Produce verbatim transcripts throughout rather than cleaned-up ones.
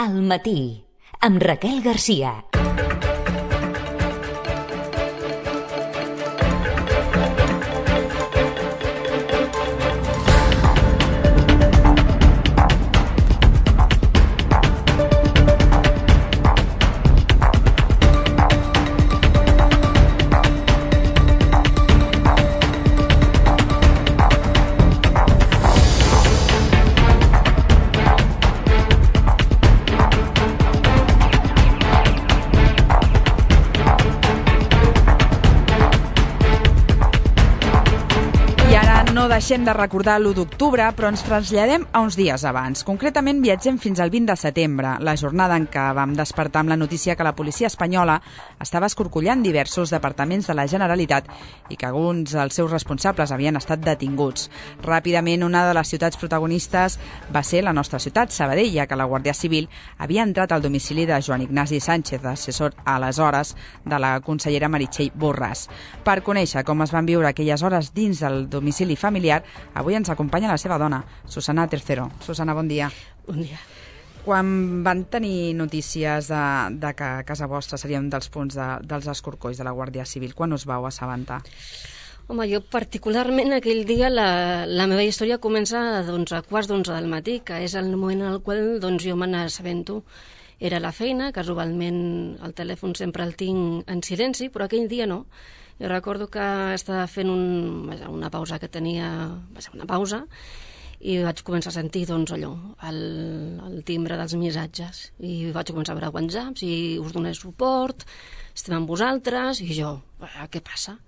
Al matí, amb Raquel Garcia. Deixem de recordar l'u d'octubre, però ens traslladem a uns dies abans. Concretament, viatgem fins al vint de setembre, la jornada en què vam despertar amb la notícia que la policia espanyola estava escorcollant diversos departaments de la Generalitat i que alguns dels seus responsables havien estat detinguts. Ràpidament, una de les ciutats protagonistes va ser la nostra ciutat, Sabadell, ja que la Guàrdia Civil havia entrat al domicili de Joan Ignasi Sánchez, assessor aleshores de la consellera Meritxell Borràs. Per conèixer com es van viure aquelles hores dins del domicili familiar, avui ens acompanya la seva dona, Susana Tercero. Susana, bon dia. Bon dia. Quan van tenir notícies de, de que a casa vostra seria un dels punts de, dels escorcolls de la Guàrdia Civil, quan us vau assabentar? Home, jo particularment aquell dia la, la meva història comença doncs, a quarts d'onze del matí, que és el moment en el qual doncs, jo me n'assabento. Era a la feina, casualment el telèfon sempre el tinc en silenci, però aquell dia no. Jo recordo que estava fent un, una pausa que tenia, va ser una pausa, i vaig començar a sentir doncs, allò, el, el timbre dels missatges. I vaig començar a veure whatsapps i us donaré suport, estem amb vosaltres, i jo, què passa?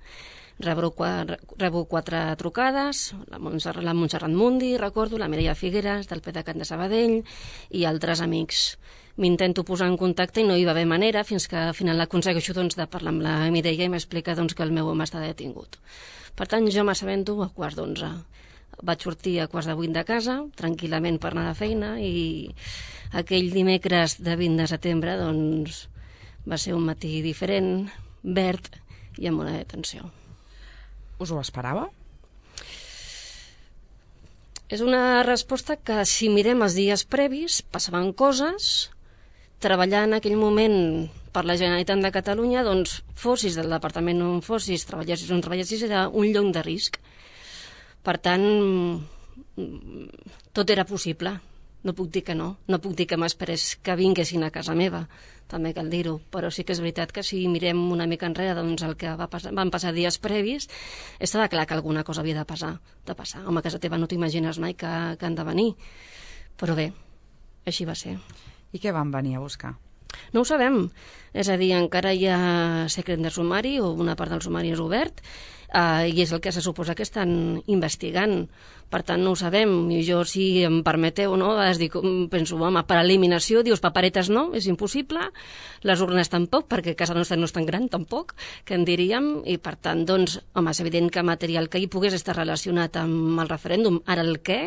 Rebo quatre, rebo quatre trucades, la Montserrat, la Montserrat Mundi, recordo, la Mireia Figueres, del PDeCAT de Sabadell, i altres amics. M'intento posar en contacte i no hi va haver manera fins que al final aconsegueixo doncs, de parlar amb la Mireia i m'explica doncs, que el meu home està detingut. Per tant, jo m'assabento a quarts d'onze. Vaig sortir a quarts de vuit de casa, tranquil·lament per anar de feina, i aquell dimecres de vint de setembre doncs, va ser un matí diferent, verd i amb una detenció. Us ho esperava? És una resposta que, si mirem els dies previs, passaven coses. Treballar en aquell moment per la Generalitat de Catalunya, doncs, fossis del departament on fossis, treballessis on treballessis, era un lloc de risc. Per tant, tot era possible. No puc dir que no. No puc dir que m'esperés que vinguessin a casa meva, també cal dir-ho. Però sí que és veritat que si mirem una mica enrere doncs, el que va passar, van passar dies previs, estava clar que alguna cosa havia de passar. De passar. Home, a casa teva no t'imagines mai que, que han de venir. Però bé, així va ser. I què van venir a buscar? No ho sabem. És a dir, encara hi ha secret de sumari, o una part del sumari és obert, eh, i és el que se suposa que estan investigant. Per tant, no ho sabem. I jo, si em permeteu, no, es dic, penso, home, per eliminació, dius, paperetes no, és impossible, les urnes tampoc, perquè casa nostra no és tan gran, tampoc, que en diríem, i per tant, doncs, home, és evident que material que hi pogués estar relacionat amb el referèndum, ara el què,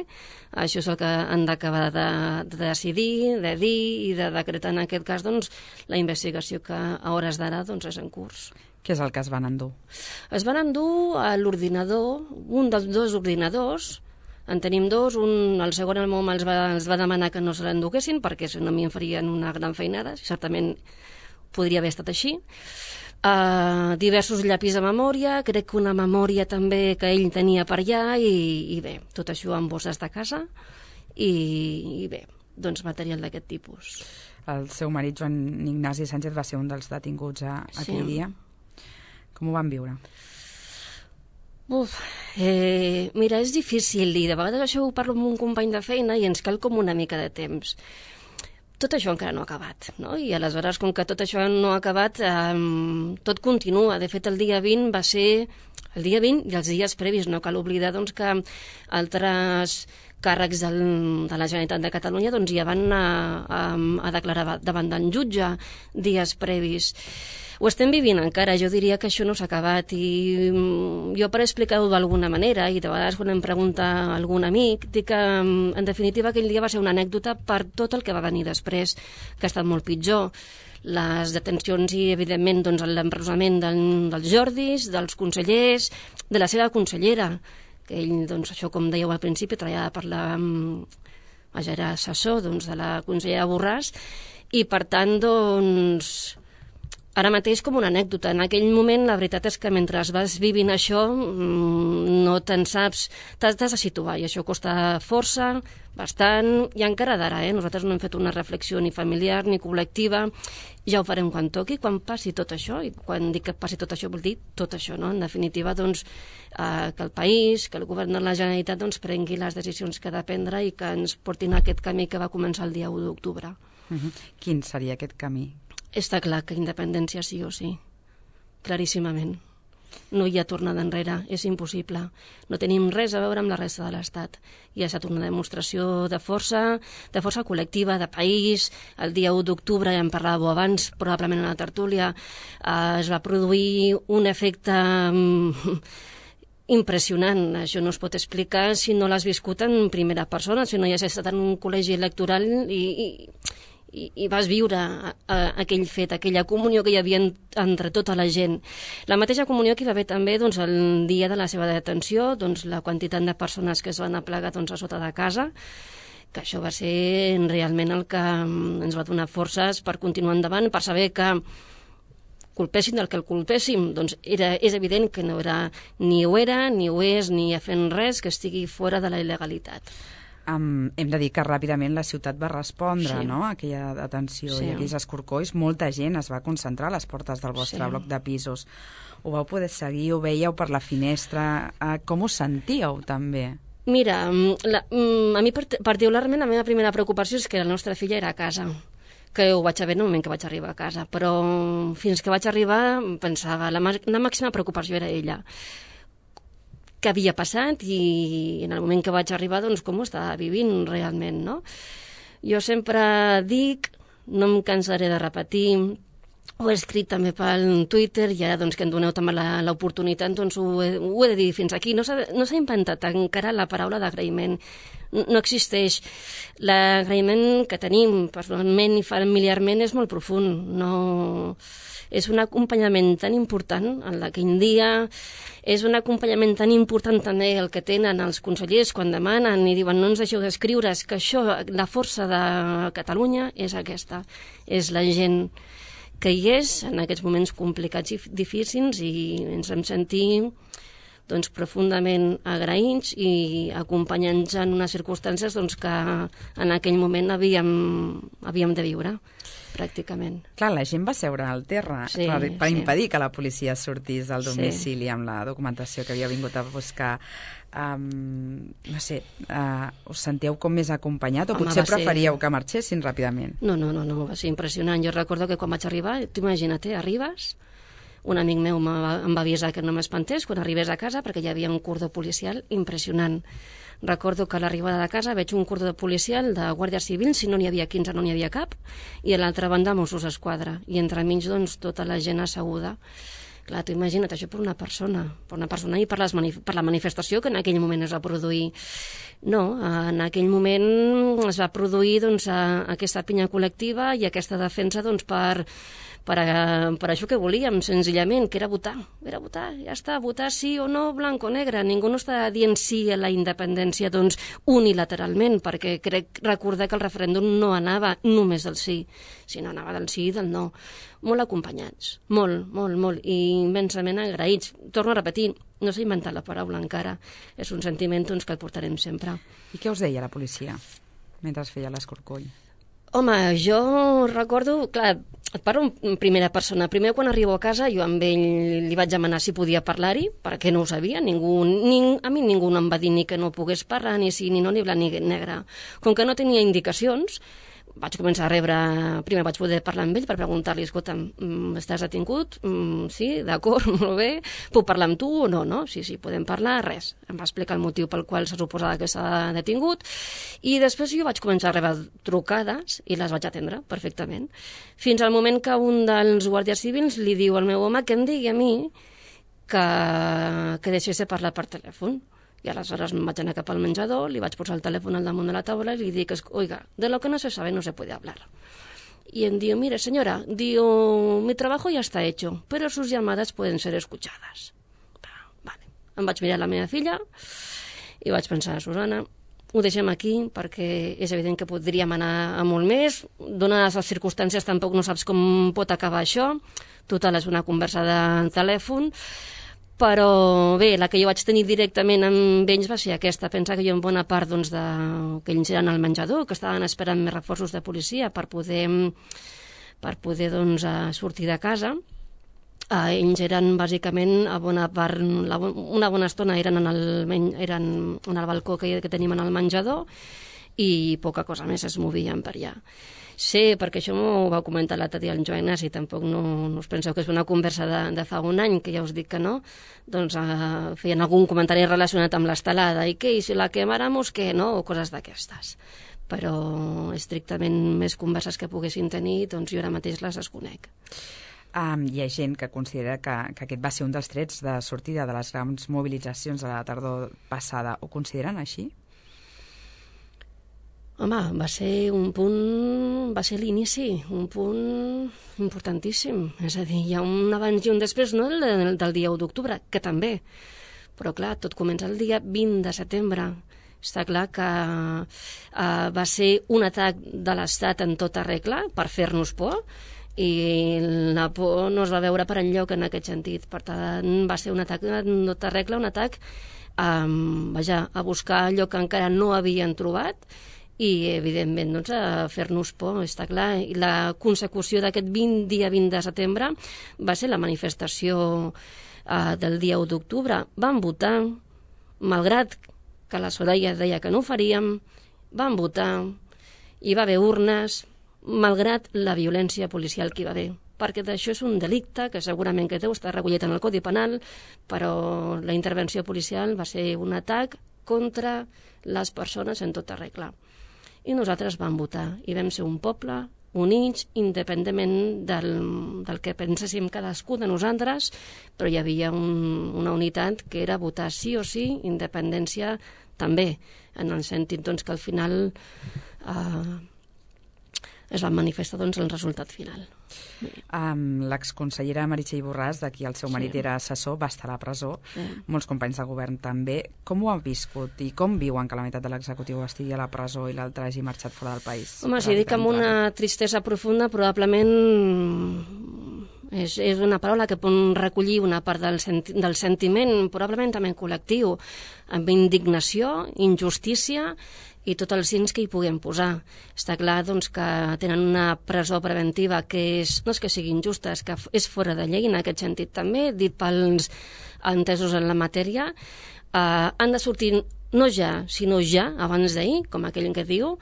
això és el que han d'acabar de, de decidir, de dir i de decretar en aquest cas, doncs, la investigació que a hores d'ara, doncs, és en curs. Què és el que es van endur? Es van endur a l'ordinador, un dels dos ordinadors. En tenim dos, un, el segon el meu home els va, els va demanar que no se l'enduguessin perquè si no m'hi farien una gran feinada, certament podria haver estat així. Uh, diversos llapis de memòria, crec que una memòria també que ell tenia per allà i, i bé, tot això amb bosses de casa i, i bé, doncs material d'aquest tipus. El seu marit, Joan Ignasi Sánchez, va ser un dels detinguts a, a Sí. aquell dia. Com ho van viure? Uf, eh, mira, és difícil i de vegades això ho parlo amb un company de feina i ens cal com una mica de temps. Tot això encara no ha acabat, no? I aleshores, com que tot això no ha acabat, eh, tot continua. De fet, el dia vint va ser el dia vint i els dies previs. No cal oblidar doncs, que altres càrrecs del, de la Generalitat de Catalunya doncs, ja van a, a, a declarar davant del jutge dies previs. Ho estem vivint encara, jo diria que això no s'ha acabat i jo per explicar-ho d'alguna manera i de vegades quan em pregunta algun amic dic que en definitiva aquell dia va ser una anècdota per tot el que va venir després, que ha estat molt pitjor. Les detencions i evidentment doncs, l'empresonament del, dels Jordis, dels consellers, de la seva consellera, que ell, doncs, això com dèieu al principi, treballava per la, vaja, era assessor doncs, de la consellera Borràs, i per tant, doncs, ara mateix com una anècdota. En aquell moment, la veritat és que mentre vas vivint això, no te'n saps, t'has de situar, i això costa força, bastant, i encara d'ara, eh? Nosaltres no hem fet una reflexió ni familiar ni col·lectiva, ja ho farem quan toqui, quan passi tot això, i quan dic que passi tot això vol dir tot això, no? En definitiva, doncs, eh, que el país, que el govern de la Generalitat doncs, prengui les decisions que ha de prendre i que ens portin a aquest camí que va començar el dia u d'octubre. Uh-huh. Quin seria aquest camí? Està clar que independència sí o sí, claríssimament. No hi ha tornada enrere, és impossible. No tenim res a veure amb la resta de l'Estat. I ha estat una demostració de força, de força col·lectiva, de país. El dia u d'octubre, ja en parlàveu abans, probablement a la tertúlia, eh, es va produir un efecte mm, impressionant. Això no es pot explicar si no l'has viscut en primera persona, si no hi has estat en un col·legi electoral i... i I, i vas viure a, a, aquell fet, aquella comunió que hi havia en, entre tota la gent. La mateixa comunió que hi va haver també doncs, el dia de la seva detenció, doncs, la quantitat de persones que es van aplegar doncs, a sota de casa, que això va ser realment el que ens va donar forces per continuar endavant, per saber que culpessin del que el culpéssim, doncs era, és evident que no era, ni ho era, ni ho és, ni ha fent res que estigui fora de la il·legalitat. Um, hem de dir que ràpidament la ciutat va respondre, sí. no?, a aquella detenció sí. i aquells escorcolls. Molta gent es va concentrar a les portes del vostre sí. bloc de pisos. Ho vau poder seguir, ho veieu per la finestra. Uh, com us sentíeu, també? Mira, la, a mi particularment la meva primera preocupació és que la nostra filla era a casa, que ho vaig saber en el moment que vaig arribar a casa, però fins que vaig arribar pensava, la, la màxima preocupació era ella. Què havia passat i en el moment que vaig arribar, doncs, com ho estava vivint realment, no? Jo sempre dic, no em cansaré de repetir, ho he escrit també pel Twitter i ara doncs, que em doneu també l'oportunitat, doncs ho he, ho he de dir fins aquí. No s'ha no s'ha inventat encara la paraula d'agraïment. No existeix. L'agraïment que tenim personalment i familiarment és molt profund. No... És un acompanyament tan important el d'aquell dia, és un acompanyament tan important també el que tenen els consellers quan demanen i diuen no ens deixeu d'escriure, és que això, la força de Catalunya és aquesta, és la gent que hi és en aquests moments complicats i difícils i ens hem sentit doncs, profundament agraïts i acompanyants en unes circumstàncies doncs, que en aquell moment havíem, havíem de viure, pràcticament. Clar, la gent va seure al terra sí, per, per sí. impedir que la policia sortís del domicili sí. amb la documentació que havia vingut a buscar. Um, no sé, uh, us sentíeu com més acompanyat o Home, potser preferíeu ser... que marxessin ràpidament? No, no, no, no, va ser impressionant. Jo recordo que quan vaig arribar, tu imagina't, arribes, un amic meu em va avisar que no m'espantés quan arribés a casa perquè hi havia un cordó policial impressionant. Recordo que a l'arribada de casa veig un cordó policial de Guàrdia Civil, si no n'hi havia quinze no n'hi havia cap, i a l'altra banda Mossos d'Esquadra, i entremig doncs tota la gent asseguda. Clar, tu imagina't això per una persona, per una persona i per, les manif per la manifestació que en aquell moment es va produir. No, en aquell moment es va produir doncs, aquesta pinya col·lectiva i aquesta defensa doncs, per, per, per això que volíem, senzillament, que era votar. Era votar, ja està, votar sí o no, blanc o negre. Ningú no està dient sí a la independència doncs, unilateralment, perquè crec recordar que el referèndum no anava només del sí, sinó anava del sí i del no. Molt acompanyats, molt, molt, molt, i immensament agraïts. Torno a repetir, no s'ha inventat la paraula encara, és un sentiment doncs, que el portarem sempre. I què us deia la policia mentre es feia l'escorcoll? Home, jo recordo, clar, et parlo en primera persona. Primer, quan arribo a casa, jo amb ell li vaig demanar si podia parlar-hi, perquè no ho sabia. Ningú, ning, a mi ningú no em va dir ni que no pogués parlar, ni sí, ni no, ni blanc, ni negre. Com que no tenia indicacions, vaig començar a rebre... Primer vaig poder parlar amb ell per preguntar-li, escolta, estàs detingut? Mm, sí, d'acord, molt bé. Puc parlar amb tu o no? No? Sí, sí, podem parlar, res. Em va explicar el motiu pel qual se suposava que s'ha detingut i després jo vaig començar a rebre trucades i les vaig atendre perfectament. Fins al moment que un dels guàrdies civils li diu al meu home que em digui a mi que, que deixés de parlar per telèfon. I aleshores em vaig anar cap al menjador, li vaig posar el telèfon al damunt de la taula i li dic, oiga, de lo que no se sabe no se puede hablar. Y él dijo, mire señora, digo, mi trabajo ya está hecho, pero sus llamadas pueden ser escuchadas. Vale. Em vaig mirar la meva filla i vaig pensar, Susana, ho deixem aquí perquè és evident que podríem anar a molt més. Donades les circumstàncies tampoc no saps com pot acabar això. Total, és una conversa de telèfon. Però bé, la que jo vaig tenir directament amb ells va ser aquesta. Pensa que jo en bona part doncs, de... que ells eren al menjador, que estaven esperant més reforços de policia per poder, per poder doncs, sortir de casa. Uh, ells eren bàsicament a bona part, la, una bona estona eren en el, eren en el balcó que, que tenim en el menjador i poca cosa més es movien per allà. Sé, perquè això m'ho va comentar l'altre dia el Joan Ignasi, tampoc no, no us penseu que és una conversa de, de fa un any, que ja us dic que no, doncs uh, feien algun comentari relacionat amb l'estelada, i què, i si la quemáramos, què, no?, o coses d'aquestes. Però estrictament més converses que poguessin tenir, doncs jo ara mateix les desconec. Um, hi ha gent que considera que, que aquest va ser un dels trets de sortida de les grans mobilitzacions de la tardor passada. Ho consideren així? Home, va ser un punt, va ser l'inici, un punt importantíssim. És a dir, hi ha un abans i un després, no del, del dia u d'octubre, que també. Però clar, tot comença el dia vint de setembre. Està clar que uh, va ser un atac de l'Estat en tota regla per fer-nos por, i la por no es va veure per enlloc en aquest sentit. Per tant, va ser un atac en tota regla, un atac um, vaja, a buscar allò que encara no havien trobat i, evidentment, doncs, a fer-nos por, està clar. I la consecució d'aquest vint, dia vint de setembre va ser la manifestació uh, del dia u d'octubre. Van votar, malgrat que la Soraya deia que no ho faríem, van votar, hi va haver urnes, malgrat la violència policial que hi va haver, perquè d'això és un delicte que segurament que deu estar recollit en el Codi Penal, però la intervenció policial va ser un atac contra les persones en tota regla. I nosaltres vam votar, i vam ser un poble units, independentment del, del que penséssim cadascú de nosaltres, però hi havia un, una unitat que era votar sí o sí, independència també, en el sentit doncs, que al final eh, es va manifestar doncs, el resultat final. Um, L'exconsellera Meritxell Borràs, de qui el seu marit Sí. era assessor, va estar a la presó. Sí. Molts companys del govern també. Com ho han viscut i com viuen que la meitat de l'executiu estigui a la presó i l'altre hagi marxat fora del país? Home, si dic amb una tristesa profunda, probablement és, és una paraula que pot recollir una part del, senti del sentiment, probablement també col·lectiu, amb indignació, injustícia i tots els cins que hi puguem posar. Està clar doncs, que tenen una presó preventiva que és, no és que sigui injusta, és que és fora de llei en aquest sentit també, dit pels entesos en la matèria. Eh, han de sortir no ja, sinó ja, abans d'ahir, com aquell que diu,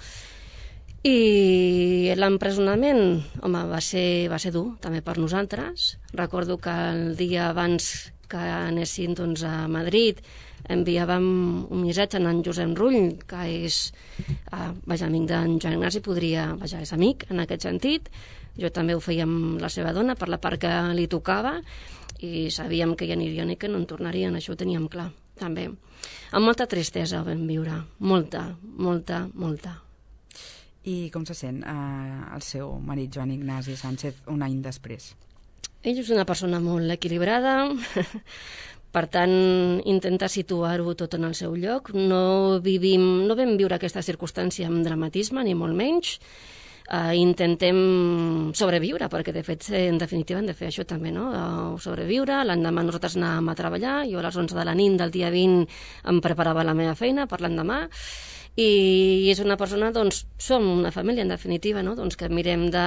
i l'empresonament, home, va ser, va ser dur, també per nosaltres. Recordo que el dia abans que anessin doncs, a Madrid enviàvem un missatge a en Josep Rull, que és eh, vaja, amic d'en Joan Ignasi, podria, vaja, és amic en aquest sentit. Jo també ho feia amb la seva dona per la part que li tocava i sabíem que hi anirien i que no en tornarien, això ho teníem clar, també. Amb molta tristesa ho vam viure, molta, molta, molta. I com se sent eh, el seu marit Joan Ignasi Sánchez un any després? Ell és una persona molt equilibrada, per tant, intenta situar-ho tot en el seu lloc. No vivim, no vam viure aquesta circumstància amb dramatisme, ni molt menys. Uh, intentem sobreviure, perquè de fet, en definitiva, hem de fer això també, no? Uh, sobreviure. L'endemà nosaltres anàvem a treballar, jo a les onze de la nit del dia vint em preparava la meva feina per l'endemà, i és una persona, doncs, som una família, en definitiva, no? Doncs que mirem de...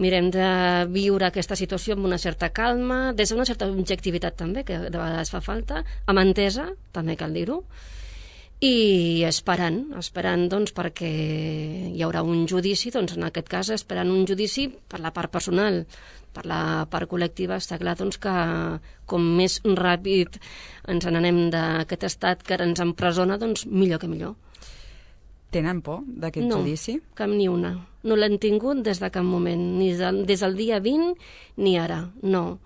mirem de viure aquesta situació amb una certa calma, des d'una certa objectivitat també, que de vegades fa falta, amb entesa, també cal dir-ho, i esperant, esperant doncs, perquè hi haurà un judici, doncs en aquest cas esperant un judici per la part personal, per la part col·lectiva. Està clar doncs, que com més ràpid ens n'anem d'aquest estat que ens empresona, doncs millor que millor. Tenen por d'aquest no, judici? No, cap ni una. No l'hem tingut des de cap moment, ni des del dia vint ni ara, no.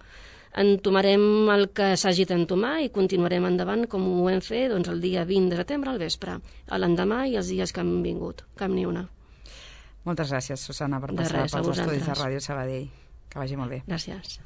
Entomarem el que s'hagi d'entomar i continuarem endavant com ho hem fet doncs, el dia vint de setembre al vespre, a l'endemà i els dies que han vingut, cap ni una. Moltes gràcies, Susana, per passar pels estudis de Ràdio Sabadell. Que vagi molt bé. Gràcies.